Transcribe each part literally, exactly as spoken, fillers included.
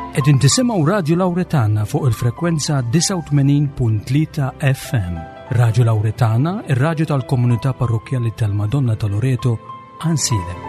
Qegħdin tisimgħu Radio Lauretana fuq il-frekwenza disgħa u tmenin punt tlieta F M. Radio Lauretana, ir-radju tal-Komunità Parrokkjali tal-Madonna ta' Loreto, Għajnsielem.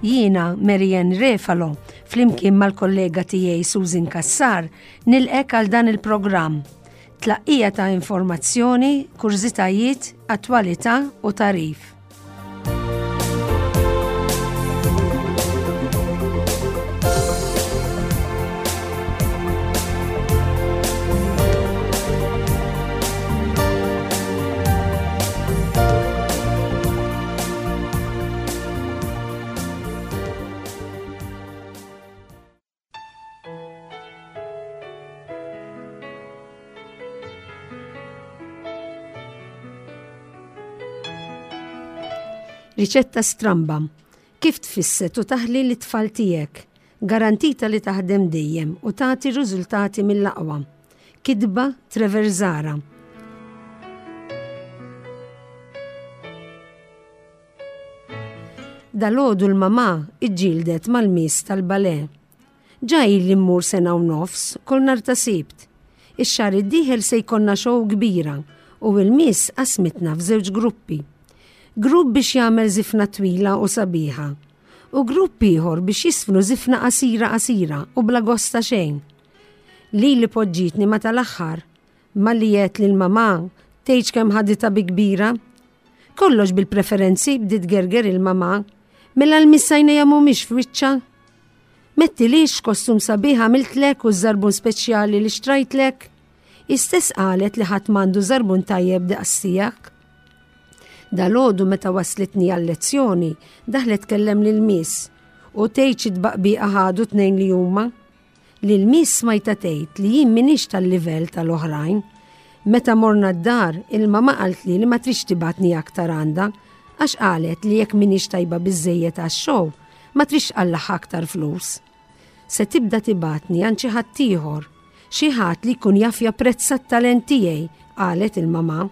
Jiena Marianne Refalo, flimkien mal-kollega tiegħi Susan Kassar, nilqgħek għal dan il-programm. Tlaqqija ta' informazzjoni, kurżitajiet, attwalità u tagħrif. Riċetta stramba. Kif tfisset u taħli lit-tfal tiegħek? Garantita li taħdem dejjem u tagħti riżultati mill-aqwa. Kitba Trevor Zara. Dalgħodu l-mama iġġieldet mal-miss tal-ballet. Ġa ili mmur sena u nofs, kull nhar ta' Sibt. Ix-xahar id-dieħel se jkollna show kbira u il-miss qasmitna f'żewġ gruppi. Grupp biex jagħmel żifna twila u sabiħa u grupp ieħor biex jiżfnu żifna qasira qasira u bla gost ta' xejn. Lili poġġietni ma' tal-aħħar, malli għedt lil mamà tgħidx kemm ħaditha bi kbira. Kollox bil-preferenzi, bdiet tgerger il-mamà, mela l-miss għajnejha mhumiex f'wiċċha. M'għedtilhiex kostum sabiħ għamiltlek u żarbun speċjali li xtrajtlek? Istess qalet li ħadd m'għandu żarbun tajjeb daqs tiegħek. Dalgħodu meta waslitni għal-lezzjoni, daħlet tkellem lil miss u tgħid xi tbaqbiqa ħadu tnejn li huma. Lil miss smajtha tgħid li jien m'iniex tal-livell tal-oħrajn. Meta morna d-dar, il-mama qaltli li ma tridx tibgħatni aktar għandha għax qalet li jekk m'iniex tajba biżejjed għax-show, ma tridx tqallagħha aktar flus. Se tibda tibgħatni għand xi ħadd ieħor, xi ħadd li jkun jaf japprezza t-talent tiegħi, qalet il-mama.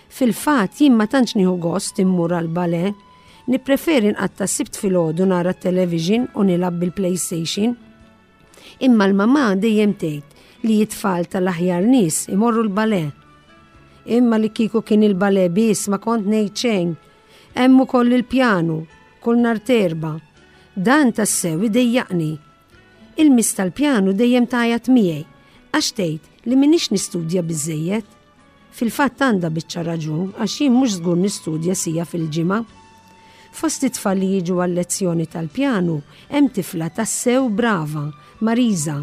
Fil-fatt jien ma tantx nieħu gost immur għal ballet, nippreferi nqatta' Sibt filgħodu nara t-television u nilgħab bil-PlayStation. Imma l-mama dejjem tgħid li it-tfal tal-aħjar nies imorru l-ballet. Imma li kieku kien il-ballet biss ma kont ngħid xejn. Hemm ukoll il-pjanu, kull nhar t'Erbgħa. Dan tassew idejjaqni. Il-miss tal-pjanu dejjem tgħajjat miegħi għax tgħid li m'iniex nistudja biżejjed. Fil-fatt għandha biċċa raġun għax jien mhux żgur nistudja siegħa fil-ġimgħa. Fost it-tfal li jiġu għal-lezzjoni tal-pjanu hemm tifla tassew brava, Marisa.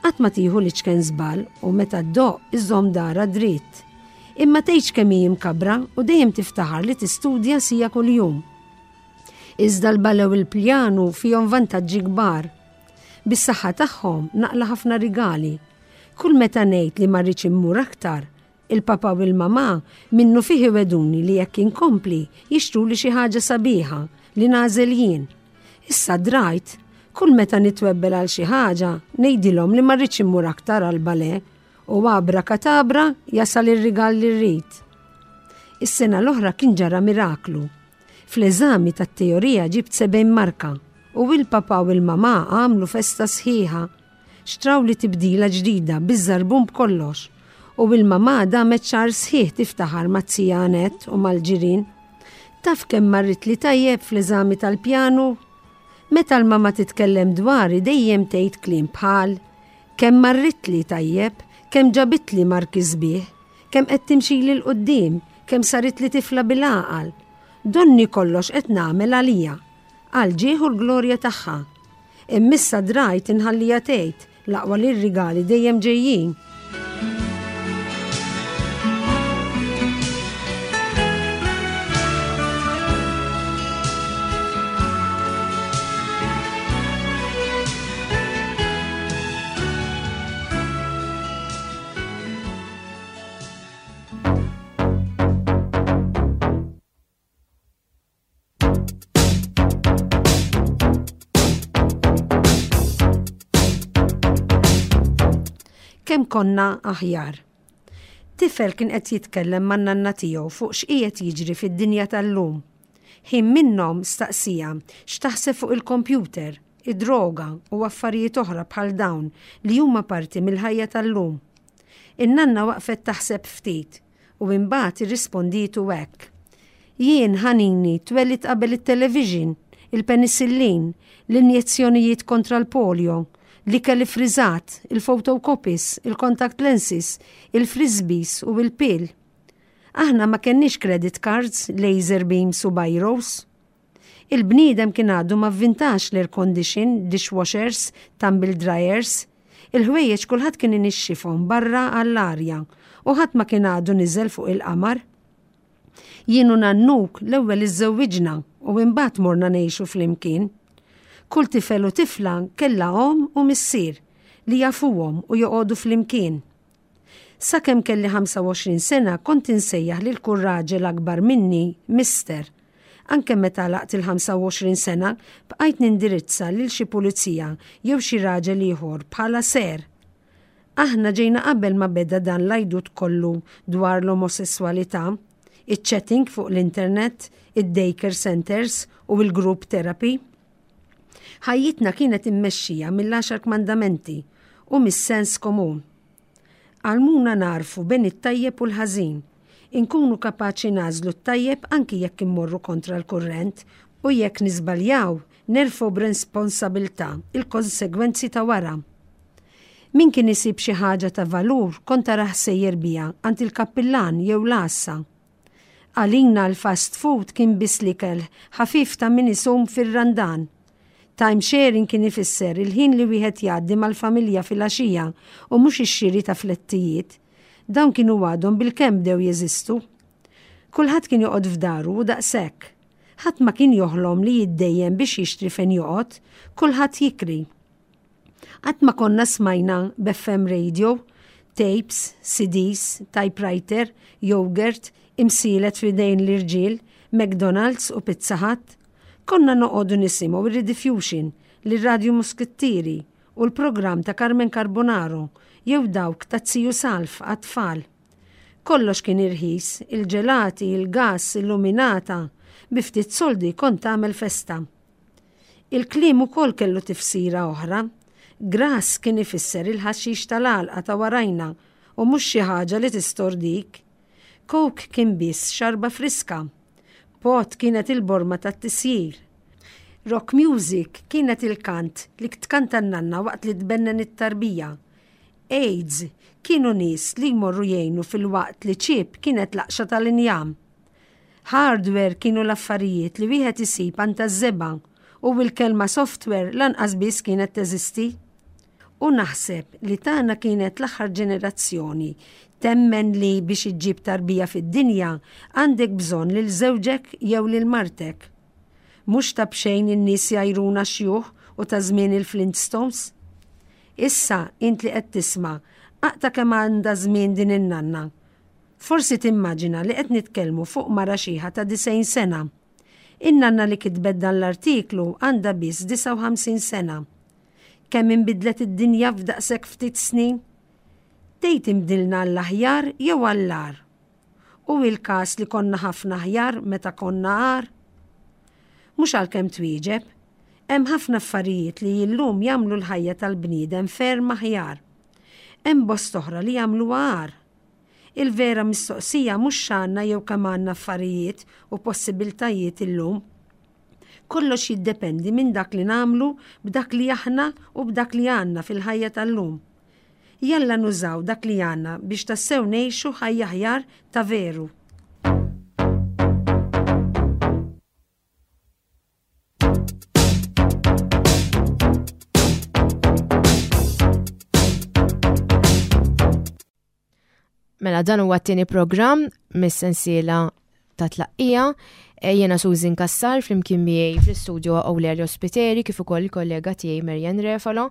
Qatt ma tieħu l-iċken żball u meta ddoqq iżżomm daharha dritt. Imma tgħidx kemm hi mkabra u dejjem tiftaħar li tistudja siegħa kuljum. Iżda l-ballet u l-pjanu fihom vantaġġi kbar. Bis-saħħa tagħhom naqla' ħafna rigali. Kull meta ngħid li ma rridx immur aktar, il-papa u l-mama minnufih iwegħduni li jekk inkompli jixtruli xi ħaġa sabiħa li nagħżel jien. Issa drajt, kull meta nitwebbel għal xi ħaġa ngħidilhom li ma rridx immur aktar għal ballet u abra katabra jasal ir-rigal li rrid. Is-sena l-oħra kien ġara miraklu. Fl-eżami tat-teorija ġibt sebgħin marka u il-papa u l-mama għamlu festa sħiħa. Xtrawli tibdila ġdida biż-żarbun b'kollox u il-mama damet xahar sħiħ tiftaħar maz-zija Anet u mal-ġirien. Taf kemm marritli tajjeb fl-eżami tal-pjanu? Meta l-mama titkellem dwari dejjem tgħid kliem bħal kemm marritli tajjeb, kemm ġabitli marki sbieħ, kemm qed timxili 'l quddiem, kemm saritli tifla bil-għaqal. Donni kollox qed nagħmel għalija, għal ġieħ u l-glorja tagħha. Imma issa drajt inħallija tgħid l-aqwa li r-rigali dejjem ġejjin. Kemm konna aħjar. Tifel kien qed jitkellem man-nanna tiegħu fuq x'qiegħed jiġri fid-dinja tal-lum. Ħin minnhom staqsieha x'taħseb fuq il-kompjuter, id-droga u affarijiet oħra bħal dawn li huma parti mill-ħajja tal-lum. In-nanna waqfet taħseb ftit u imbagħad irrispondietu hekk. Jien ħanini twelidt qabel it-television, il-penicillin, l-injezzjonijiet kontra l-polio, l-ikel friżat, il-photocopies, il-contact lenses, il-frisbees u il-pill. Aħna ma kenniex credit cards, laser beams u biros. Il-bniedem kien għadu ma vvintax l-air condition, dishwashers, tumble dryers. Il-ħwejjeġ kulħadd kien inixxifhom barra għall-arja u ħadd ma kien għadu niżel fuq il-qamar. Jien u nannuk l-ewwel iżżewwiġna u imbagħad morna ngħixu flimkien. Kull tifel u tifla kellha omm u missier li jafuhom u joqogħdu flimkien. Sakemm kelli ħamsa u għoxrin sena kont insejjaħ lil kull raġel akbar minni Mister. Anke meta għalaqt il-ħamsa u għoxrin sena bqajt nindirizza lil xi pulizija jew xi raġel ieħor bħala sir. Aħna ġejna qabel ma beda dan l-għajdut kollu dwar l-omosessualità, iċ-chatting fuq l-internet, id-daycare centers u il-group therapy. Ħajjitna kienet immexxija mill-għaxar kmandamenti u mis-sens komun. Għallmuna nagħrfu bejn it-tajjeb u l-ħażin, inkunu kapaċi nagħżlu t-tajjeb anki jekk immorru kontra l-kurrent u jekk niżbaljaw nerfgħu b'responsabilità il-konsegwenzi ta' wara. Min kien isib xi ħaġa ta' valur kont tarah sejjer biha għand il-kappillan jew l-għassa. Għalina l-fast food kien biss l-ikel ħafif ta' min isum fir-Randan. Time sharing kien ifisser il-ħin li wieħed jgħaddi mal-familja fil-għaxija u mhux ix-xiri ta' flettijiet. Dawn kienu għadhom bil-kemm bdew jeżistu. Kulħadd kien joqgħod f'daru u daqshekk. Ħadd ma kien joħlom li jiddejjem biex jixtri fejn joqgħod, kulħadd jikri. Qatt ma konna smajna b'F M radio, tapes, C Ds, typewriter, yogurt, imsielet f'idejn l-irġiel, McDonald's u Pizza Hut. Konna noqogħdu nisimgħu ir-Rediffusion, l-Radio Muskittieri u l-programm ta' Carmen Carbonaro jew dawk ta' Ziju Salv għat-tfal. Kollox kien irħis, il-ġelati, il-gas, illuminata, bi ftit soldi kont tagħmel festa. Il-kliem ukoll kellu tifsira oħra. Grass kien ifisser il-ħaxix tal-għalqa ta' warajna u mhux xi ħaġa li tistordik. Coke kien biss xarba friska. Pot kienet il-borma tat-tisjir. Rock music kienet il-kant li tkanta n-nanna waqt li tbennen it-tarbija. AIDS kienu nies li jmorru jgħinu filwaqt li chip kienet laqxa tal-injam. Hardware kienu l-affarijiet li wieħed isib għand taż-żebgħa u l-kelma software lanqas biss kienet teżisti. U naħseb li tagħna kienet l-aħħar ġenerazzjoni temmen li biex iġġib tarbija fid-dinja għandek bżonn lil żewġek jew lil martek. Mhux ta' b'xejn in-nies jgħajruna xjuħ u ta' żmien il-Flintstones. Issa int li qed tisma' aqta' kemm għandha żmien din in-nanna. Forsi timmaġina li qed nitkellmu fuq mara xiħa ta' disgħin sena. In-nanna li kitbet dan l-artiklu għandha biss disgħa u ħamsin sena. Kemm inbidlet id-dinja f'daqshekk ftit snin? Tgħid inbdilna għall-aħjar jew għall-agħar? U il-każ li konna ħafna aħjar meta konna agħar? Mhux għalkemm twieġeb, hemm ħafna affarijiet li illum jagħmlu l-ħajja tal-bniedem ferm aħjar. Hemm bosta oħra li jagħmlu agħar. Il-vera mistoqsija mhux x'għandna jew kemm għandna affarijiet u possibiltajiet illum. Kollox jiddependi minn dak li nagħmlu b'dak li aħna u b'dak li għandna fil-ħajja tal-lum. Jalla nużaw dak li għandna biex tassew ngħixu ħajja aħjar ta' veru. Mela, dan huwa t-tieni programm mis-sensiela ta' tlaqqija. E, Jiena Susan Kassar, flimkien miegħi fl-istudio Aurelia Ospiteri kif ukoll il-kollega tiegħi Marian Refalo.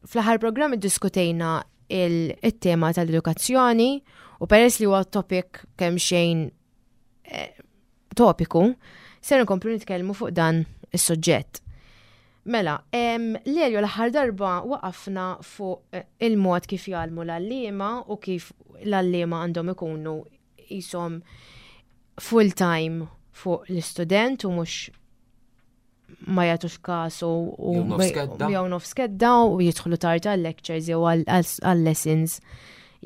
Fl-aħħar programm iddiskutejna il-tema tal-edukazzjoni u peress li huwa topic kemm xejn eh, topiku, ser nkomplu nitkellmu fuq dan is-suġġett. Mela, Lelio, l-aħħar darba waqafna fuq eh, il-mod kif jgħallmu l-għalliema u kif l-għalliema għandhom ikunu jisom full time fuq l-istudent u mhux ma jagħtux kasu u jew nofs kedda u jidħlu tard għal-lectures jew għal-lessons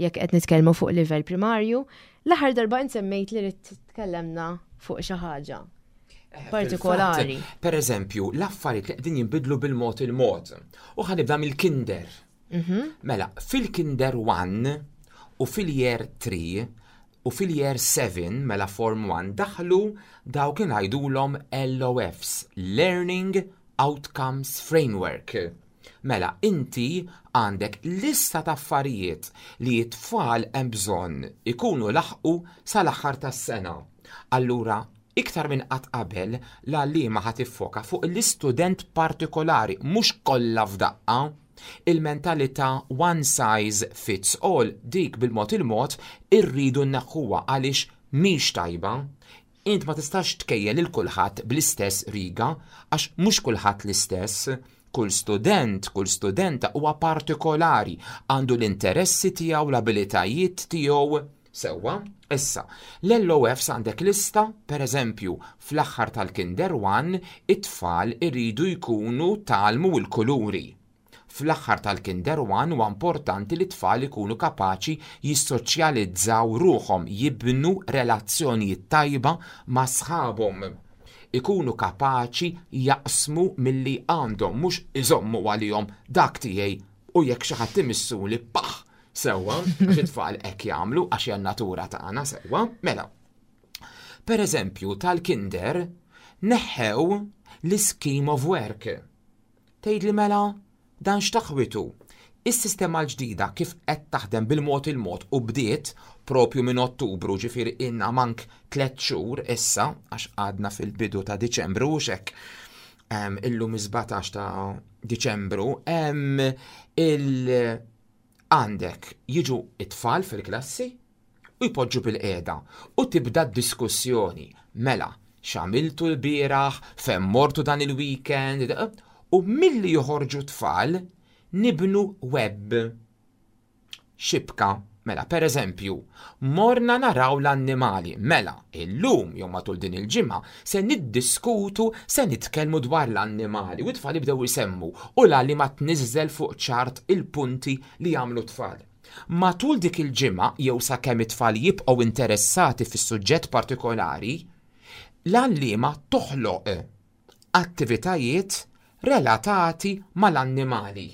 jekk qed nitkellmu fuq livell primarju. L-aħħar darba insemmejt li rrid tkellemna fuq xi ħaġa eh, partikolari. Per eżempju, l-affarijiet li qegħdin jinbidlu bil-mod il-mod. U ħa nibda mill-kinder. Mhm. Mela, fil-kinder wieħed u fil-year tlieta u fil-year sebgħa, mela form wieħed, daħlu dawk li ngħidulhom L O Fs, Learning Outcomes Framework. Mela, inti għandek lista ta' affarijiet li t-tfal hemm bżonn ikunu laħqu sal-aħħar tas-sena. Allura, iktar minn qatt qabel l-għalliema ħa tiffoka fuq l-istudent partikolari, mhux kollha f'daqqa. Il-mentalità one size fits all, dik bil-mod il-mod irridu nneħħuha għaliex mhix tajba. Int ma tistax tkejjel lil kulħadd bl-istess riga għax mhux kulħadd l-istess. Kull student, kull studenta huwa partikolari, għandu l-interessi tiegħu, l-abilitajiet tiegħu. Sewwa, issa, l-L O Fs għandek lista, per eżempju, fl-aħħar tal-Kinder wieħed, it-tfal iridu jkunu tgħallmu l-kuluri. Fl-aħħar tal-Kinder wieħed huwa importanti li t-tfal ikunu kapaċi jissoċjalizzaw ruħhom, jibnu relazzjonijiet tajba ma' sħabhom. Ikunu kapaċi jaqsmu milli għandhom, mhux iżommu għalihom, dak tiegħi u jekk xi ħadd imissuli paħ. Sewwa, għax it-tfal hekk jagħmlu għax hija natura tagħna, sewwa, mela. Per eżempju, tal-kinder neħħew l-scheme of work. Tgħid li mela dan x'taħwitu? Is-sistema l-ġdida kif qed taħdem bil-mod il-mod u bdiet propju minn Ottubru, ġifieri inna mank tliet xhur issa, għax għadna fil-bidu ta' Diċembru u xek illum sbatax ta' Diċembru, il għandek jiġu it-tfal fil-klassi u jpoġġu bil-qiegħda u tibda diskussjoni. Mela, x'għamiltu l-bieraħ, fejn mortu dan il-weekend, u milli joħorġu tfal nibnu web. Xibka. Mela, per eżempju, morna naraw l-annimali. Mela, illum, jew matul din il-ġimgħa, se niddiskutu, se nitkellmu dwar l-annimali. U t-tfal jibdew isemmu u l-għalliema tniżżel fuq ċart il-punti li jagħmlu tfal. Matul dik il-ġimgħa jew sakemm it-tfal jibqgħu interessati fis-suġġett partikolari, l-għalliema toħloq attivitajiet relatati mal-annimali,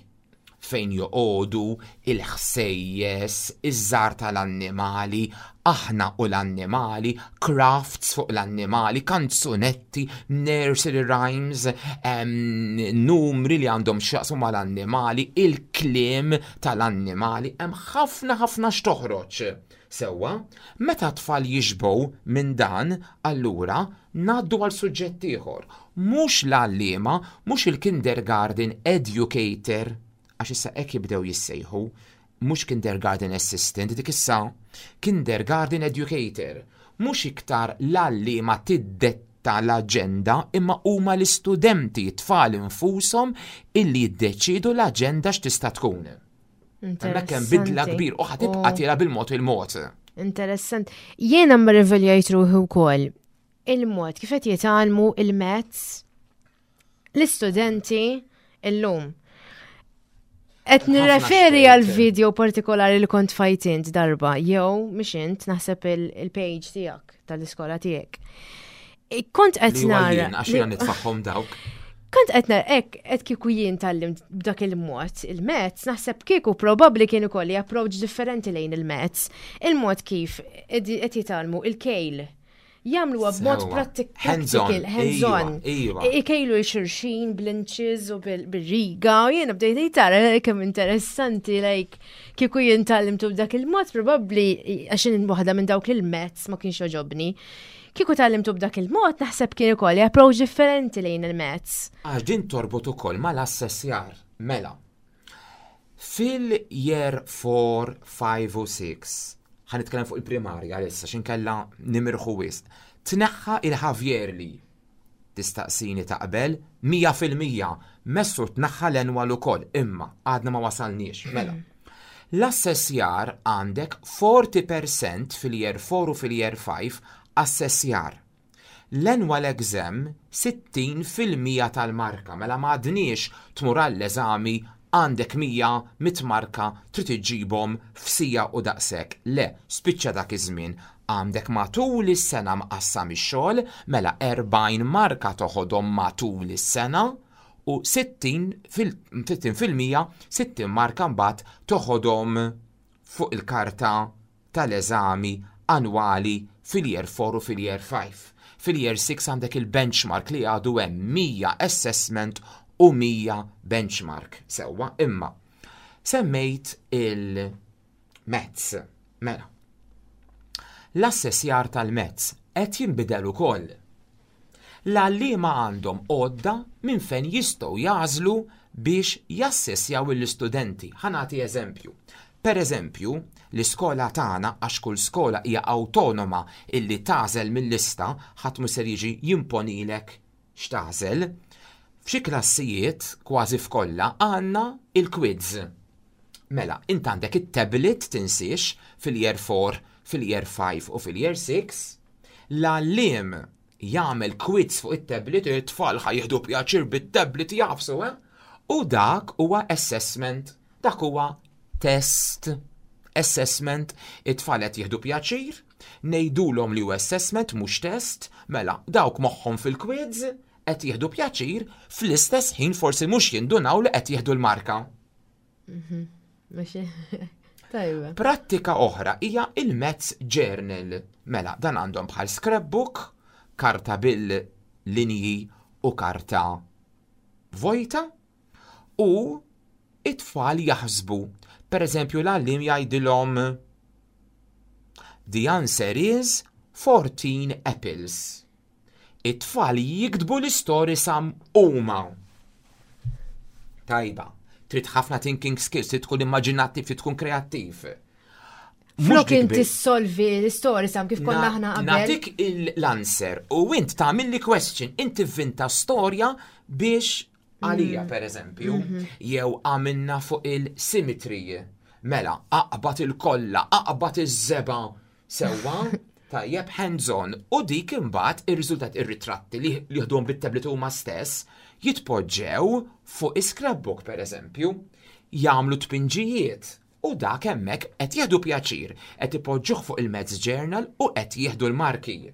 fejn joqogħdu, il-ħsejjes, iż-żar tal-annimali, aħna u l-annimali, crafts fuq l-annimali, kanzunetti, nursery rhymes, em, numri li għandhom x'jaqsmu mal-annimali, il-kliem tal-annimali, hemm ħafna ħafna x'toħroġ. Sewwa, meta tfal jixbgħu minn dan, allura ngħaddu għal suġġett ieħor. Mhux l-għalliema, mhux il-kindergarten educator, għax issa hekk jibdew jissejħu, mhux kindergarten assistant, dik issa kindergarten educator. Mhux iktar l-għalliema tiddetta l-aġenda imma huma l-istudenti, tfal infushom, illi jiddeċidu l-aġenda x'tista' tkun. Hemmhekk hemm bidla kbir u ħa tibqa' tiela bil-mod il-mod. Interessant. Jiena mraviljajt ruħi wkoll il-mod kif qed jitgħallmu il-maths l-istudenti illum. Qed nirreferi għal video partikolari li kont tfajt int darba, jew mhix int, naħseb il-page tiegħek tal-iskola tiegħek. Kont qed nara. Għax jiena nitfagħhom dawk. Kont qed nara hekk qed kieku jien tgħallimt b'dak il-mod il-maths, naħseb kieku probabbli kien ikolli approach differenti lejn il-maths. Il-mod kif qed jitgħallmu il-kejl jagħmlu b'mod practical, hands-on. Ikejlu 'l xulxin bl-inches u bil-riga u jiena bdejt tara kemm interessanti, like kieku jien tgħallimtu b'dak il-mod probabbli, għax waħda minn dawk il-maths ma kienx jogħġobni. Kieku tgħallimtu b'dak il-mod, naħseb kien ikolli approach differenti lejn il-maths. Għax din torbot ukoll mal-assessjar, mela. Fil-year four, five u six, ħa nitkellem fuq il-primarja issa x'inkella nimirħu wisq. Tneħħa il-half yearly. Tistaqsini taqbel? mija fil-mija messu tnaħħa l-annual ukoll, imma għadna ma wasalniex. Mela. L-assessjar għandek erbgħin fil-mija fil-year four u fil-year five assessjar. L-annual exam sittin fil-mija tal-marka, mela m'għadniex tmur għall-eżami, għandek mija mit marka trid iġġibhom f'siegħa u daqshekk. Le, spiċċa dak iż-żmien. Għandek matul is-sena mqassam ix-xogħol, mela erbgħin marka toħodhom matul is-sena u sittin fil- sittin fil-mija, sittin marka mbagħad toħodhom fuq il-karta tal-eżami annwali fil-year four u fil-year five. Fil-year six għandek il-benchmark li għadu hemm mija assessment u mija benchmark. Sewwa, imma semmejt il-maths. Mela. L-assessjar tal-maths qed jinbidel ukoll. L-għalliema għandhom għodda minn fejn jistgħu jagħżlu biex jassessjaw l-istudenti. Ħa nagħti eżempju. Per eżempju, l-iskola tagħna, għax kull skola hija awtonoma illi tagħżel mill-lista, ħadd mhu ser jiġi jimponilek x'tagħżel. F'xi klassijiet, kważi f'kollha, għandna il-quiz. Mela, int għandek it-tablet, tinsiex, fil-year four, fil-year five u fil-year six. L-għalliem jagħmel quiz fuq it-tablet, it-tfal ħa jieħdu pjaċir bit-tablet jagħfsu, eh? U dak huwa assessment, dak huwa test. Assessment, it-tfal qed jieħdu pjaċir, ngħidulhom li huwa assessment mhux test, mela dawk moħħhom fil-quiz qed jieħdu pjaċir, fl-istess ħin forsi mhux jindunaw li qed jieħdu l-marka. Mhux tajba. Prattika oħra hija il-Maths Journal. Mela, dan għandhom bħal scrapbook, karta bil-linji u karta vojta, u it-tfal jaħsbu. Per eżempju, l-għallim jgħidilhom: "The answer is fourteen apples." It-tfal jiktbu l-istorja sam huma. Tajba, trid ħafna thinking skills, trid tkun immaġinattiv, trid tkun kreattiv. Mhux Flok dik inti biss. solvi l-istorja sam kif konna Na- aħna qabel. Nagħtik l-answer u int tagħmilli question, inti vinta storja biex għalija, Mm. per eżempju, Mhm. jew għamilna fuq il-symmetry. Mela, aqbad il-kolla, aqbad iż-żebgħa, sewwa, tajjeb, hands-on, u dik imbagħad ir-riżultat, ir-ritratti li li jieħduhom bit-tablet huma stess jitpoġġew fuq is-scrapbook, per eżempju, jagħmlu tpinġijiet u dak hemmhekk qed jieħdu pjaċir, qed ipoġġuh fuq il-Maths Journal u qed jieħdu l-marki.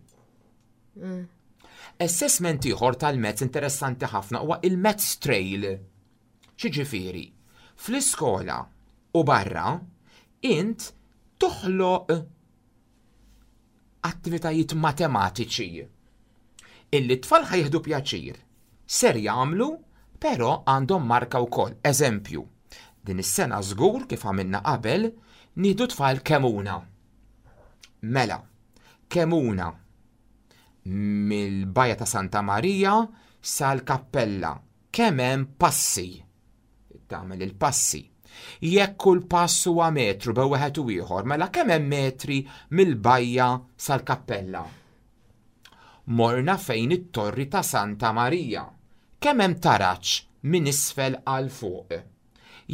Assessment ieħor tal-Maths interessanti ħafna huwa il-Maths Trail. X'jiġifieri? Fl-iskola u barra int toħloq attivitajiet matematiċi illi t-tfal ħa jieħdu pjaċir. Ser jagħmlu, però għandhom marka wkoll. Eżempju, din is-sena żgur kif għamilna qabel, nieħdu tfal Kemmuna. Mela, Kemmuna mill-Bajja ta' Santa Maria sal-Kappella. Kemm hemm passi? Tagħmel il-passi. Jekk kull pass huwa metru bejn wieħed u ieħor, mela kemm hemm metri mill-bajja sal-Kappella? Morna fejn it-Torri ta' Santa Maria. Kemm hemm taraġ minn isfel għal fuq?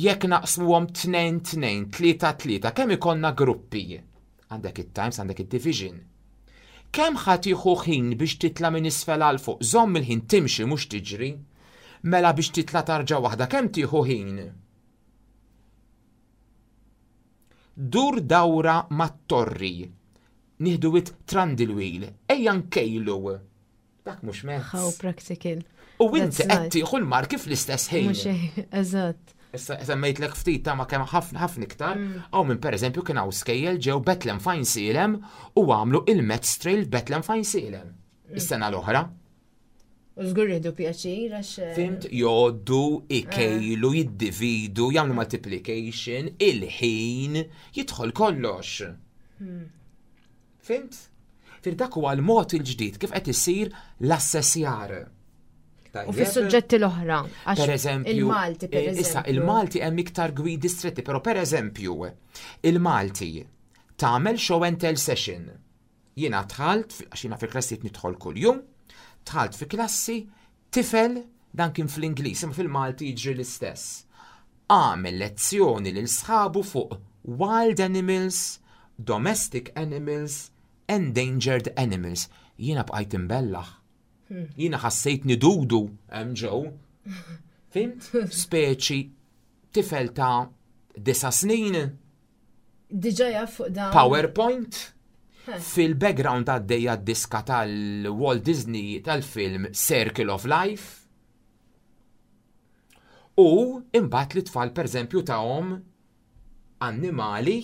Jekk naqsmuhom tnejn tnejn, tlieta tlieta, kemm ikollna gruppi? Għandek it-times, għandek id-division. Kemm ħa tieħu ħin biex titla' minn isfel għal fuq? Żomm il-ħin, timxi mhux tiġri. Mela biex titla' tarġa waħda kemm tieħu ħin? Dur dawra mat-torri. Nieħdu it trundle wheel, ejja nkejlu. Dak mhux mezz. How practical. U inti That's qed nice. tieħu l-marki fl-istess ħin. Mhux hekk, eżatt. Issa semmejtlek ftit ta' ma kemm ħafna ħafna iktar. Hawn minn, pereżempju, kien hawn skejjel ġew Bethlehem f'Għajnsielem u għamlu il-Maths Trail Bethlehem f'Għajnsielem is-sena l-oħra. U żgur jieħdu pjaċir għax. eh, Fhimt, jgħoddu, ikejlu, jiddividu, jagħmlu multiplication, il-ħin, jidħol kollox. Fhimt? Fir dak huwa l-mod il-ġdid kif qed isir l-assessjar. U Tajjeb? fis-suġġetti l-oħra. Għax Per eżempju, il-Malti, per eh, eżempju. Issa, il-Malti hemm iktar gwidi stretti, però per eżempju, il-Malti tagħmel show and tell session. Jiena dħalt, għax jiena fi klassijiet nidħol kuljum, dħalt fi klassi tifel Dan kien fl-Ingliż, imma fil-Malti jiġri l-istess. Għamel lezzjoni lil sħabu fuq wild animals, domestic animals, endangered animals. Jiena bqajt imbellaħ. Jiena ħassejt nidudu hemm ġew. Fhimt? Speċi tifel ta' disa snin, Diġà jaf fuq dan. PowerPoint, fil-background għaddejja diska tal-Walt Disney tal-film Circle of Life. U imbagħad li tfal pereżempju tahom annimali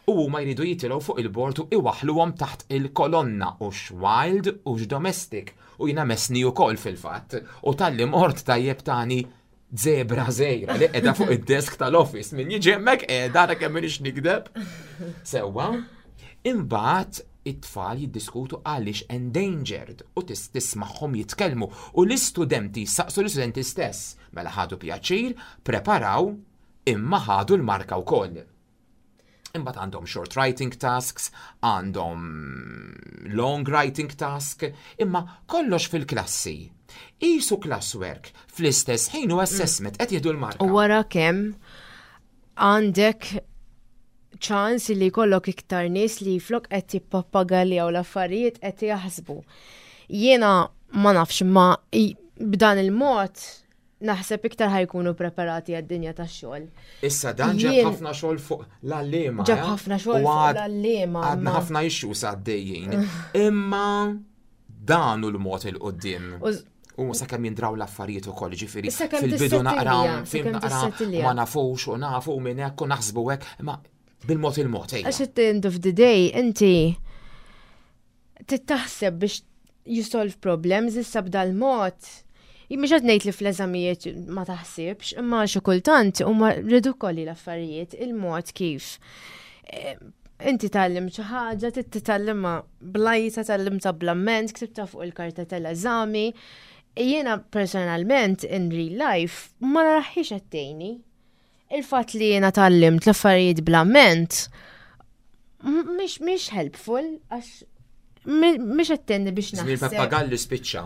u huma jridu jitilgħu fuq il-bord u iwaħluhom taħt il-kolonna u wild u domestic u jiena messni ukoll fil-fatt u talli mort tajjeb tani zebra żgħira li qiegħda fuq id-desk tal-office min jiġi hemmhekk qiegħda ara kemm m'iniex nikdeb. Sewwa, imbagħad it-tfal jiddiskutu għaliex endangered u tis tismagħhom jitkellmu u l-istudenti saqsu l-istudenti stess mela ħadu pjaċir, preparaw imma ħadu l-marka wkoll. Imbagħad għandhom short writing tasks, għandhom long writing task, imma kollox fil-klassi. Qisu classwork, fl-istess ħin u assessment qed jieħdu l-marka. U wara kemm għandek ċans li jkollok iktar nies li flok qed jippappagaljaw l-affarijiet qed jaħsbu. Jiena ma nafx ma i- b'dan il-mod naħseb iktar ħa jkunu preparati għad-dinja tax-xogħol. Issa dan ġab Jien- ħafna xogħol fuq l-għalliema. Ġab eh? ħafna xogħol U fuq għad- l-għalliema, Għadna ma- ħafna issues għaddejjin. Imma dan hu l-mod 'il quddiem. U- U sakemm jindraw l-affarijiet ukoll, ġifieri Sakemm fil-bidu naqraw, tissettilja, fim sakemm naqra tissettilja. ma nafux u nafu minn hekk u naħsbu hekk, imma bil-mod il-mod ejja. Għax at the end of the day, inti titaħseb biex you solve problems issa b'dal-mod. Mhux qed ngħid li fl-eżamijiet ma taħsibx, imma xi kultant huma ridikoli l-affarijiet, il-mod kif. Eh, Inti tgħallimt xi ħaġa, trid titgħallimha blajta, tgħallimtha bl-amment, ktibta fuq il-karta tal-eżami. Jiena personalment in real life ma naraħiex qed tgħinni. Il-fatt li jiena tgħallimt l-affarijiet bl-amment mhix mhix helpful għax mhix qed tgħinni biex Żmien naħseb. il-pappagalli spiċċa.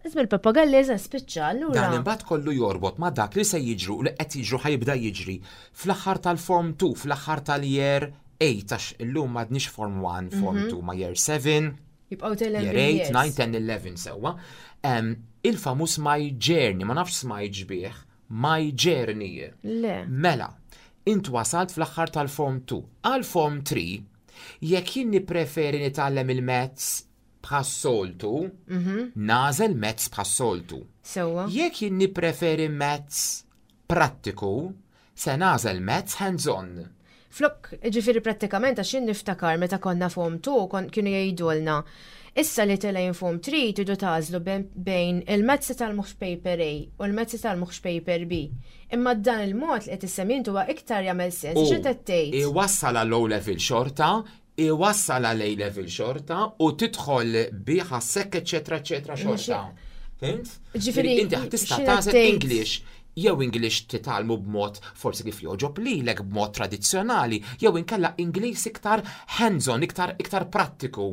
Ismi il-pappagalli eża spiċċa allura. Dan imbagħad kollu jorbot ma' dak li se jiġru u li qed jiġru ħa jibda jiġri fl-aħħar tal-Form two, fl-aħħar tal-year eight, għax illum m'għadniex Form one, Form two, ma year seven, Jibqgħu telgħin year eight, nine, ten, eleven sewwa. Em, Il-famuż My Journey, ma nafx smajt bih, My Journey. Le. Mela, int wasalt fl-aħħar tal-Form two. Għal Form three, jekk jien nippreferi nitgħallem il-maths bħas-soltu, nagħżel maths bħas-soltu. Sewwa. Jekk jien nippreferi maths prattiku, se nagħżel maths hands-on. Flok, ġifieri prattikament għax jien niftakar meta konna Form two kon kienu jgħidulna. Issa li telgħin Form three tridu tagħżlu bejn- bejn il-maths titgħallmuhx paper A u l-maths titgħallmuhx paper B. Imma dan il-mod li qed issemmi huwa iktar jagħmel sens. Xi qed tgħid? Iwassal għal O level xorta, iwassal għal A level xorta u tidħol biħa sekk eċetera eċetera xorta. Fhimt? Ġifieri, inti tista' x'inhu tagħżel tgħid? English jew English titgħallmu b'mod forsi kif jogħġob lilek b'mod tradizzjonali, jew inkella Ingliż iktar hands-on, iktar iktar prattiku.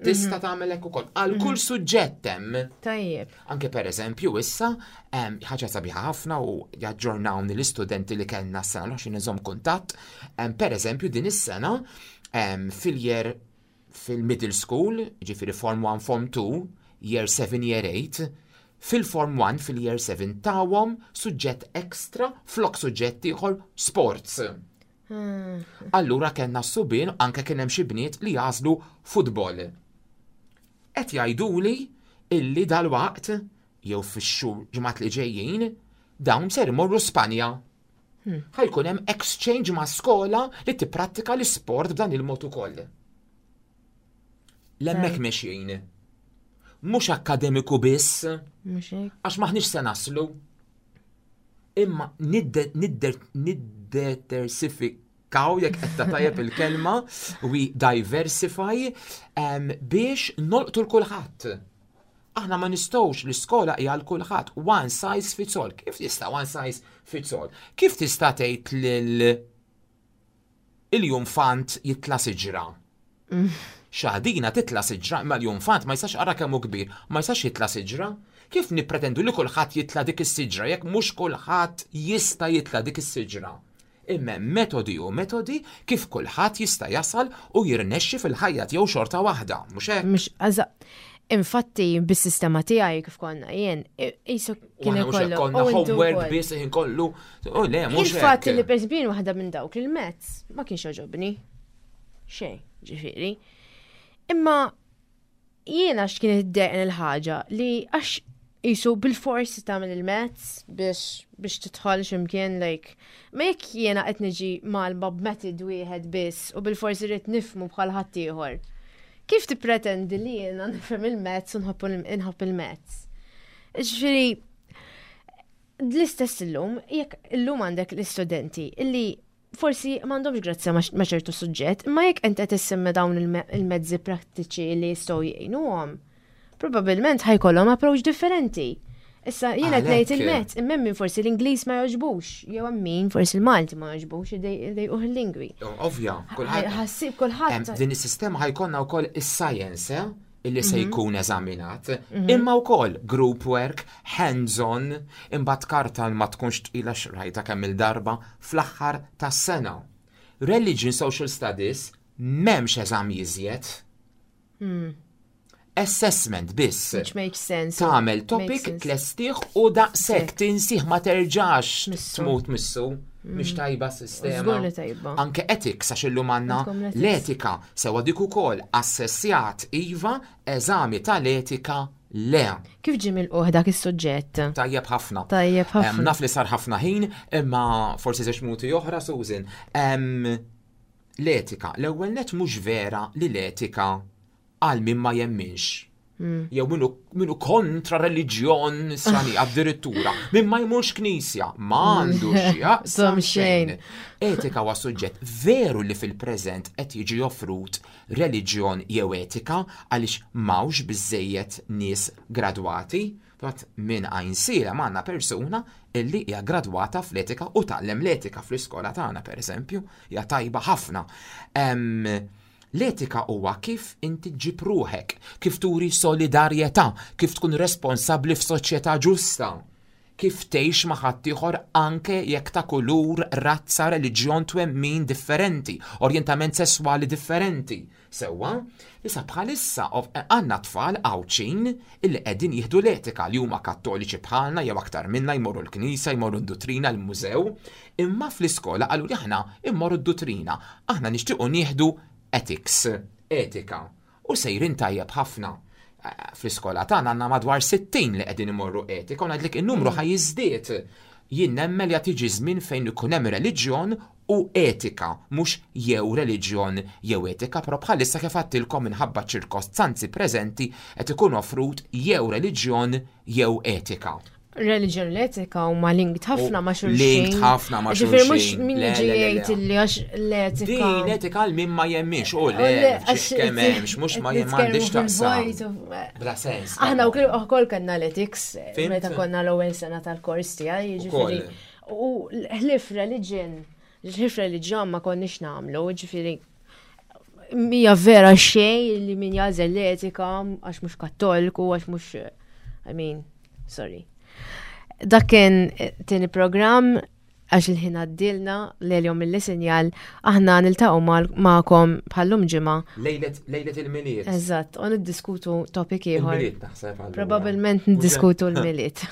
Tista' tagħmel hekk ukoll għal kull suġġett hemm. Tajjeb. Anke per eżempju issa, em, ħaġa sabiħa ħafna u jaġġornawni l-istudenti li kellna s-sena l oħra nżomm kuntatt, em, per eżempju din is-sena em, fil-year fil-middle school, ġifieri Form one, Form two, year seven, year eight, fil-Form one fil-year seven tawhom suġġett extra flok suġġett ieħor sports. Allura kellna s-subien anke kien hemm xi bniet li jagħżlu futbol. Qed jgħiduli illi dal-waqt jew fix-xhur ġimgħat li ġejjin dawn ser imorru Spanja. Ħa jkun hemm exchange ma' skola li tipprattika l-isport b'dan il-mod ukoll. L'hemmhekk mexjin. Mhux akkademiku biss, Mhux hekk. għax maħniex se naslu. Imma nidde- nidder- niddetersifikaw jekk qed tajjeb il-kelma, we diversify em, biex nolqtu l-kulħadd. Aħna ma nistgħux, l-iskola hija għal kulħadd, one size fits all. Kif tista' one size fits all? Kif tista' tgħid lil l-iljunfant jitla' siġra? Xaħdina titla' siġra, imma l-iljunfant ma jistax, ara kemm hu kbir, ma jistax jitla' siġra. Kif nippretendu li kulħadd jitla dik is-siġra jekk mhux kulħadd jista' jitla dik is-siġra? Imma metodi u metodi kif kulħadd jista' jasal u jirnexxi fil-ħajja tiegħu xorta waħda, mhux hekk? Mhux eżatt. Infatti, bis-sistema tiegħi kif konna jien, qisu U kien aħna mhux hekk ikollu. konna u intu homework wkoll. biss ħin kollu. U le, mhux Il-fatt hekk. li per eżempju waħda minn dawk il-mezz ma kienx jogħġobni. Xejn, ġifieri. Imma jiena x'kien iddejqni il-ħaġa li għax qisu bil-forsi tagħmel il-mezz biex biex tidħol x'imkien like ma jekk jiena qed niġi mgħallma b'method wieħed biss u bil-forsi rrid nifhmu bħal ħaddieħor. Kif tippretendi li jiena nifhem il-mezz u nħobb inħobb il-mezz? Ġifieri l-istess illum, jekk illum għandek l-istudenti illi forsi m'għandhomx grazzja ma' ma' ċertu suġġett, imma jekk inti qed issemmi dawn il-me- il-mezzi prattiċi li jistgħu jgħinuhom, probabbilment ħa jkollhom approach differenti. Issa jiena qed ngħid Għalhekk. il-mezz, imma min forsi l-Ingliż ma jogħġbux, jew hemm min forsi l-Malti ma jogħġbux idejquh il-lingwi. Ovvja, kulħadd. Ħassib kulħadd. Em, Din is-sistema ħa jkollna wkoll is-science, eh, illi se Mhm. jkun eżaminat, imma wkoll group work, hands-on, imbagħad karta li ma tkunx tqila xrajta kemm il-darba fl-aħħar tas-sena. Religion Social Studies m'hemmx eżami iżjed. Assessment biss. Which makes sense. Tagħmel Makes topic sense. tlestih u daqshekk tinsih ma terġax Missu. tmut missu. Mhix tajba s-sistema. Żgur li tajba. Anke ethics għax illum għandna Għandkom l-ethics. l-etika sewa dik ukoll assessjat iva, eżami tal-etika le. Kif ġie milqugħ dak is-suġġett? Tajjeb ħafna. Tajjeb ħafna. Em, Naf li sar ħafna ħin, imma forsi żewġ minuti oħra, Susan. Em, L-etika, l-ewwel net mhux vera li l-etika għal min ma jemminx. Hmm. Jew minnu, minnu kontra reliġjon nisrani addirittura, min ma jmurx knisja, ma għandu x'jaqsam Som xejn. Etika huwa suġġett veru li fil-preżent qed jiġi offrut reliġjon jew etika għaliex m'hawnx biżejjed nies gradwati. Fatt minn Għajnsielem għandna persuna illi hija gradwata fl-etika u tgħallem l-etika fl-iskola tagħna pereżempju, hija tajba ħafna. Em, L-etika huwa kif inti ġib ruħek, kif turi solidarjetà, kif tkun responsabbli f'soċjetà ġusta, kif tgħix ma' ħaddieħor anke jekk ta' kulur, razza, reliġjon, twemmin differenti, orjentament sesswali differenti. Sewwa, issa bħalissa of- għandna tfal Għawdxin illi qegħdin jieħdu l-etika li huma kattoliċi bħalna jew aktar minna jmorru l-knisja, jmorru d-duttrina, l-mużew, imma fl-iskola qalu li aħna immorru d-duttrina, aħna nixtiequ nieħdu ethics, etika, u sejrin tajjeb ħafna. Eh, Fl-iskola tagħna għandna madwar sittin li qegħdin imorru etika u ngħidlek in-numru ħa jiżdied. Jien nemmen li qed jiġi żmien fejn ikun hemm reliġjon u etika, mhux jew reliġjon jew etika, però bħalissa kif għedtilkom minħabba ċirkostanzi preżenti qed ikun offrut jew reliġjon jew etika. Religion l-etika huma linked ħafna ma' xulxin. Linked ħafna ma' Ġifieri mhux xulxin. min Le, jiġi le, le, le. jgħid illi għax l-etika. Din etika għal min ma jemminx, u le, Le, għax kemm hemmx, mhux ma qed jem m'għandix nitkellmu taqsam. fil-vojt u- Bla sens. Aħna wkoll ukoll kellna l-ethics Fhimt? meta konna l-ewwel sena tal-kors tiegħi, jiġifieri. U ħlief religion, ħlief reliġjon ma konniex nagħmlu, jiġifieri mija vera xejn li min jagħżel l-etika għax mhux kattoliku, għax mhux I mean, sorry. Dak kien tieni programm għax il-ħin għaddilna l-jom mill-sinjal aħna niltaqgħu magħkom bħallum ġimgħa. Lejlet lejlet il-Milied. Eżatt, u niddiskutu topic ieħor. Il-Milied naħseb allura. Probabilment niddiskutu l-Milied.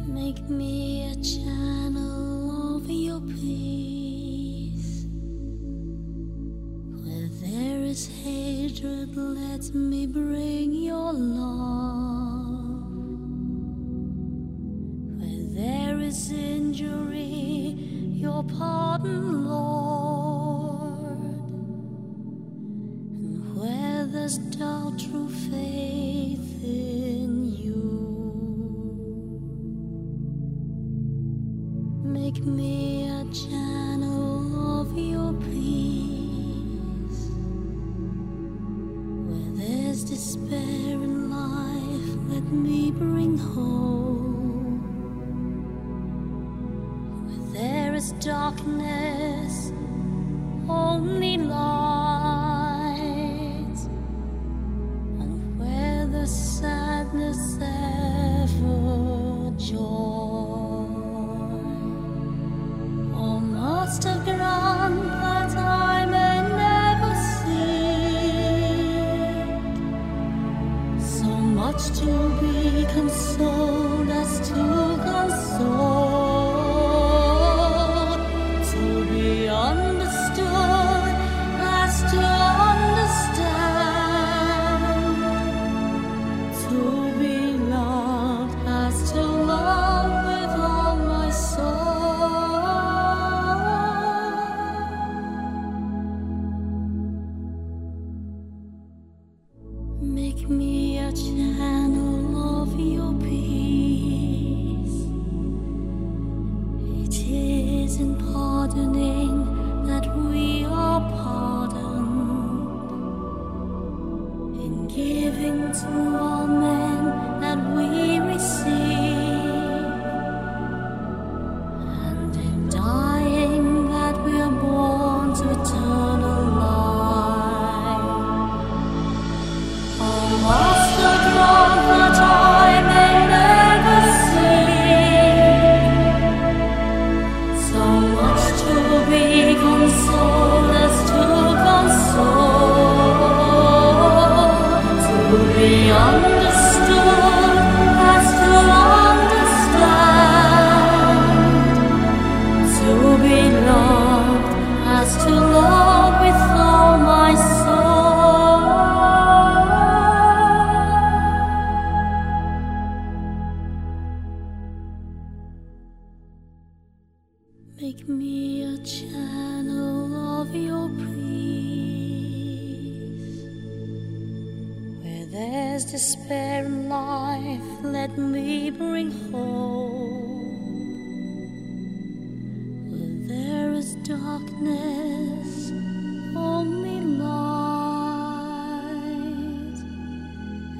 Make me a channel of your peace. Where there is hatred, let me bring your love. Where there is injury, your pardon, Lord. And where there's doubt, true faith in you. Make me a channel of your peace. Where there's despair in life, let me bring hope. Where there is darkness, only light. And where there's sadness, ever joy. Oh, Master, grant that I may never seek so much to be consoled as to console, to be understood as to understand, to be loved as to love with all my soul. Make me a channel of your peace. It is in pardoning that we are pardoned, in giving to all men that we receive, and in dying that we are born to eternal life. Oh, Master, grant that I may never seek so much to be consoled as to console, to be understood as to understand, to be loved as to love with all my soul. Make me a channel of your peace. Where there's despair in life, let me bring hope. Where there is darkness, only light.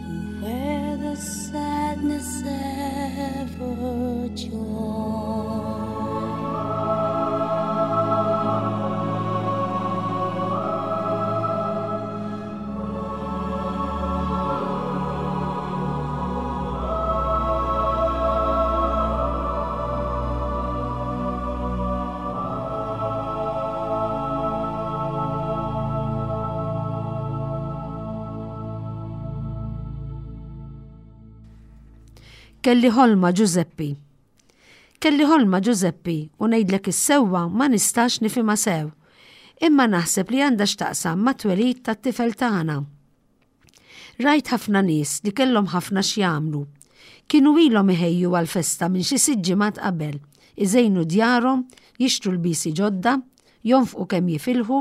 And where there's sadness, ever joy. Kelli ħolma Ġużeppi. Kelli ħolma Ġużeppi u ngħidlek is-sewwa ma nistax nifhimha sew. Imma naħseb li għandha x'taqsam mat-twelid tat-tifel tagħna. Rajt ħafna nies li kellhom ħafna x'jagħmlu. Kienu ilhom iħejju għall-festa minn xi sitt ġimgħat qabel, iżejnu djarhom, jixtru l-bisi ġodda, jonfqu kemm jifilħu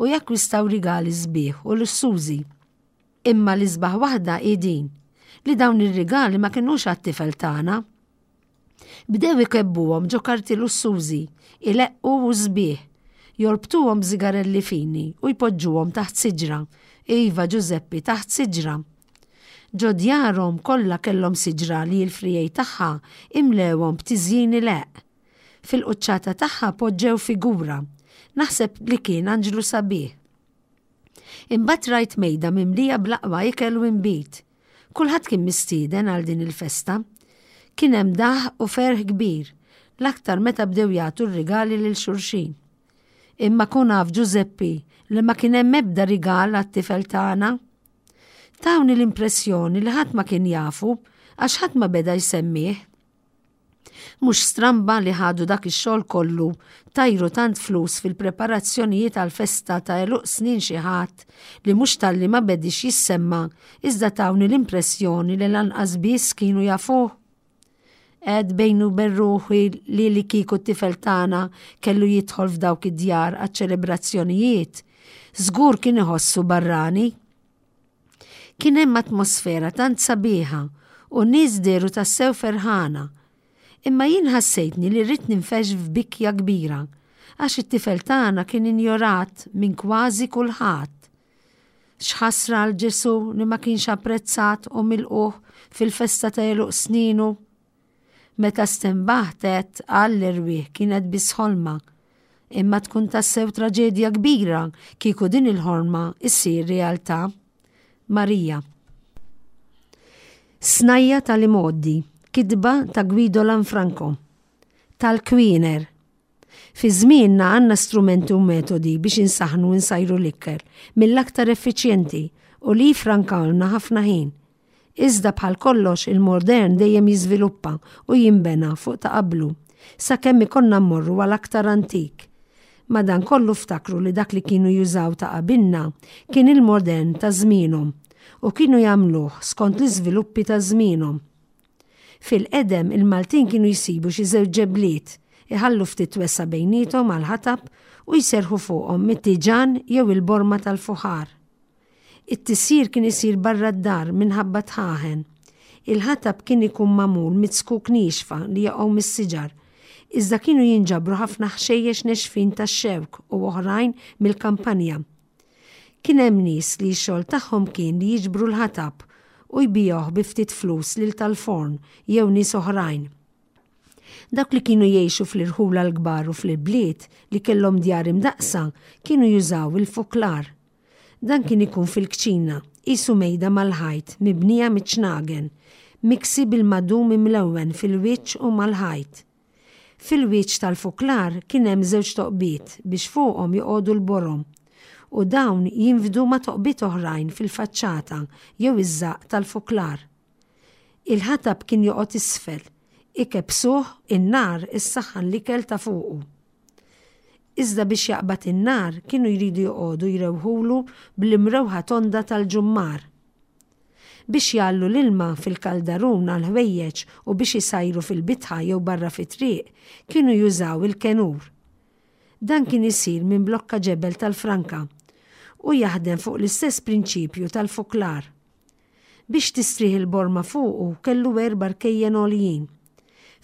u jakkwistaw rigali sbieħ u lussużi. Imma l-isbaħ waħda hi din, li dawn ir-rigali ma kinux għat-tifel tagħna. Bdew ikebbuhom ġo karti lussużi, ileqqu u sbieħ, jorbtuhom b'sigarelli fini u jpoġġuhom taħt siġra. Iva Ġużeppi, taħt siġra. Ġo djarhom kollha kellhom siġra li l-frijej tagħha imlewhom b'tiżjin ileqq. Fil-quċċata tagħha poġġew figura. Naħseb li kien anġlu sabiħ. Imbagħad rajt mejda mimlija bl-aqwa ikel u inbid. Kulħadd kien mistieden għal din il-festa. Kien hemm daħ u ferħ kbir, l-aktar meta bdew jagħtu r-rigali lil xulxin. Imma kun af Ġużeppi li ma kien hemm ebda rigal għat-tifel tagħna. Tawni l-impressjoni li ħadd ma kien jafu għax ħadd ma beda jsemmih. Mhux stramba li ħadu dak ix-xogħol kollu, tajru tant flus fil-preparazzjonijiet għal-festa ta' għeluq snin xi ħadd li mhux talli ma bedix jissemma, iżda tawni l-impressjoni li lanqas biss kienu jafuh. Għed bejnu berruħi li li kieku t-tifel tagħna kellu jidħol f'dawk id-djar għaċ-ċelebrazzjonijiet, żgur kien iħossu barrani. Kien hemm atmosfera tant sabiħa u nies dehru tassew ferħana. Imma jien ħassejtni li rrid ninfex f'bikja kbira għax it-tifel tagħna kien injorat minn kważi kulħadd. X'ħasra għal Ġesu li ma kienx apprezzat u milqugħ fil-festa ta' għeluq sninu. Meta stenbaħt għall-erwieħ kienet biss ħolma, imma tkun tassew traġedja kbira kieku din il-ħolma issir realtà. Marija. Snajja tal-imgħoddi, kitba ta' Guido Lanfranco. Tal-Kwiner. Fi żmienna għandna strumenti u metodi biex insaħnu u nsajru l-ikel mill-aktar effiċjenti u li jifrankawlna ħafna ħin. Iżda bħal kollox il-modern dejjem jiżviluppa u jinbena fuq ta' qablu, sakemm ikollna mmorru għal aktar antik. Madankollu ftakru li dak li kienu jużaw ta' qabilna kien il-modern ta' żmienhom u kienu jagħmluh skont l-iżviluppi ta' żmienhom. Fil-qedem il-Maltin kienu jsibu xi żewġ ġebliet, iħallu ftit wesgħa bejniethom għal ħatab u jserħu fuqhom mit-tiġan jew il-borma tal-fuħar. It-tisjir kien isir barra d-dar minħabba dħaħen. Il-ħatab kien ikun magħmul mit-zkuk niexfa li jaqgħu mis-siġar, iżda kienu jinġabru ħafna ħxejjex nexfin tax-xewk u oħrajn mill-kampanja. Kien hemm nies li x-xogħol tagħhom kien li jiġbru l-ħatab u jbigħuh bi ftit flus lil tal-forn jew nies oħrajn. Dak li kienu jgħixu fl-irħula l-kbar u fl-bliet li kellhom djar imdaqsa kienu jużaw il-fuklar. Dan kien ikun fil-kċina, qisu mejda mal-ħajt mibnija miċ-ċnagen, miksi bil-madum imlewwen fil-wiċċ u mal-ħajt. Fil-wiċċ tal-fuklar kien hemm żewġ toqbiet biex fuqhom joqogħdu l-borom u dawn jinfdu ma' toqbiet oħrajn fil-faċċata jew iż-żaqq tal-fuklar. Il-ħatab kien joqgħod isfel, ikebsuh in-nar issaħħan l-ikel ta' fuqu. Iżda biex jaqbad in-nar kienu jridu joqogħdu jrewħulu bl-imrewħa tonda tal-ġummar. Biex jgħallu l-ilma fil-kaldarun għal ħwejjeġ u biex isajru fil-bitħa jew barra fit-triq kienu jużaw il-kenur. Dan kien isir minn blokka ġebel tal-franka u jaħdem fuq l-istess prinċipju tal-fuklar. Biex tistrieħ il-borma fuqu kellu erba' rkejjen għoljin.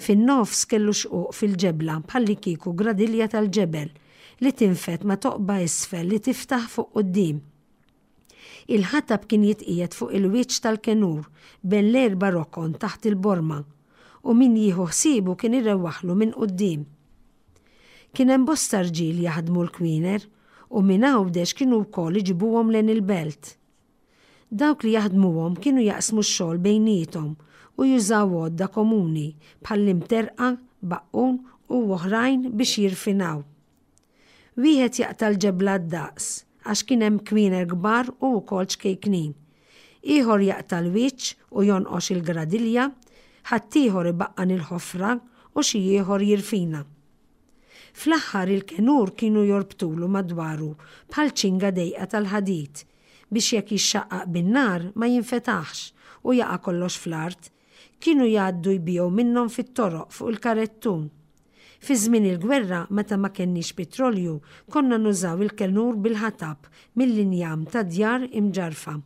Fin-nofs kellu xquq fil-ġebla bħalli kieku gradilja tal-ġebel li tinfed ma' toqba isfel li tiftaħ fuq quddiem. Il-ħatab kien jitqiegħed fuq il-wiċċ tal-kenur bejn l-erba' rokon taħt il-borma u min jieħu ħsiebu kien irewwaħlu minn quddiem. Kien hemm bosta rġiel jaħdmu l-kwiner u minn Għawdex kienu wkoll iġibuhom lejn il-belt. Dawk li jaħdmuhom kienu jaqsmu x-xogħol bejniethom u jużaw għodda komuni bħall-imterqa, baqqun u oħrajn biex jirfinaw. Wieħed jaqta' l-ġebla d-daqs għax kien hemm kwiner kbar u wkoll ċkejknin. Ieħor jaqta' l-wiċċ u jonqox il-gradilja, ħaddieħor ibaqqan il-ħofra u xi ieħor jirfina. Fl-aħħar il-kenur kienu jorbtulu madwaru bħal ċinga dejqa tal-ħadid biex jekk jixxaqqaq bin-nar ma jinfetaħx u jaqa' kollox fl-art, kienu jgħaddu jbigħu minnhom fit-toroq fuq il-karettun. Fi żmien il-gwerra meta ma kenniex petrolju konna nużaw il-kenur bil-ħatab mill-injam ta' djar imġarfa.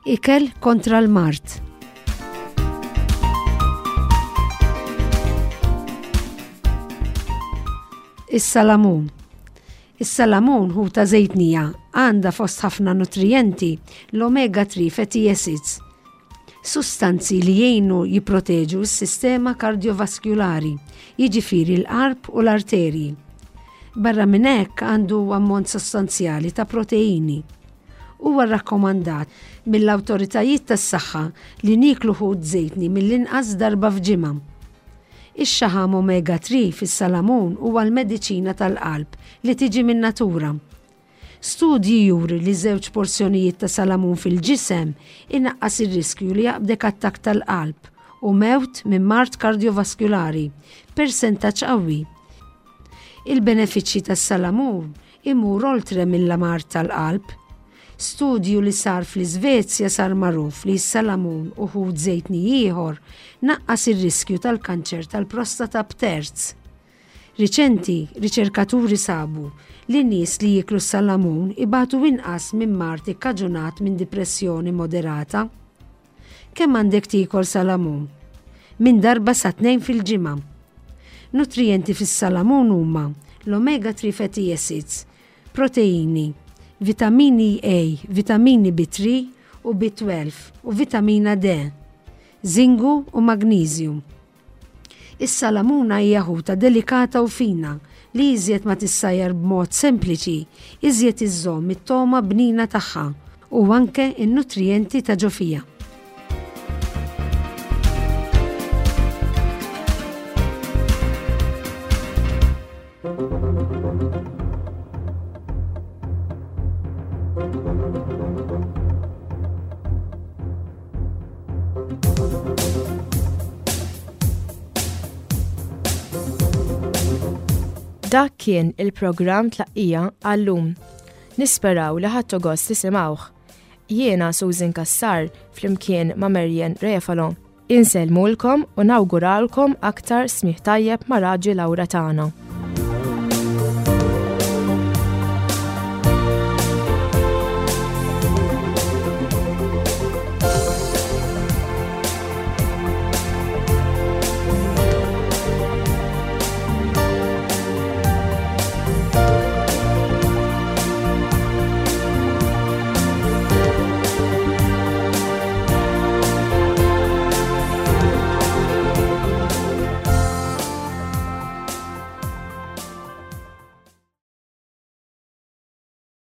Ikel kontra l-mard. Is-salamun. Is-salamun hu ta' żejtnija għandha fost ħafna nutrijenti l-omega three fatty acids, sustanzi li jgħinu jipproteġu s-sistema kardiovaskulari, jiġifieri l-qalb u l-arterji. Barra minn hekk għandu ammont sostanzjali ta' proteini. Huwa rrakkomandat mill-awtoritajiet tas-saħħa li nieklu ħut żejtni mill-inqas darba f'ġimgħa. Ix-xaħam omega three fis-salamun huwa l-mediċina tal-qalb li tiġi min-natura. Studji juri li żewġ porzjonijiet ta' salamun fil-ġisem inaqqas ir-riskju li jaqbdek attakk tal-qalb u mewt minn mard kardiovaskulari, persentaġġ qawwi. Il-benefiċċji tas-salamun imur oltre mill-mard tal-qalb. Studju li sar fl-Iżvezja sar magħruf li s-salamun u ħut żejtni ieħor naqqas ir-riskju tal-kanċer tal-prostata b'terz. Riċenti, riċerkaturi sabu li nies li jieklu s-salamun ibatu inqas minn mard ikkaġunat minn dipressjoni moderata. Kemm għandek tiekol salamun? Minn darba sa tnejn fil-ġimgħa. Nutrijenti fis-salamun huma l-omega three fatty acids, proteini, vitamini A, vitamini B three u B twelve u vitamina D, zingu u magnesium. Is-salamuna hija ħuta delikata u fina li iżjed ma tissajjar b'mod sempliċi, iżjed iżżomm it-toma bnina tagħha u anke n-nutrijenti ta' ġo fiha. Dak kien il-programm Tlaqqija għallum. Nisperaw li ħadtu gost tisimgħuh. Jiena Susan Cassar flimkien ma' Marian Refalo. Insellmulkom u nawguralkom aktar smigħ tajjeb ma' Raġi Laura tagħna.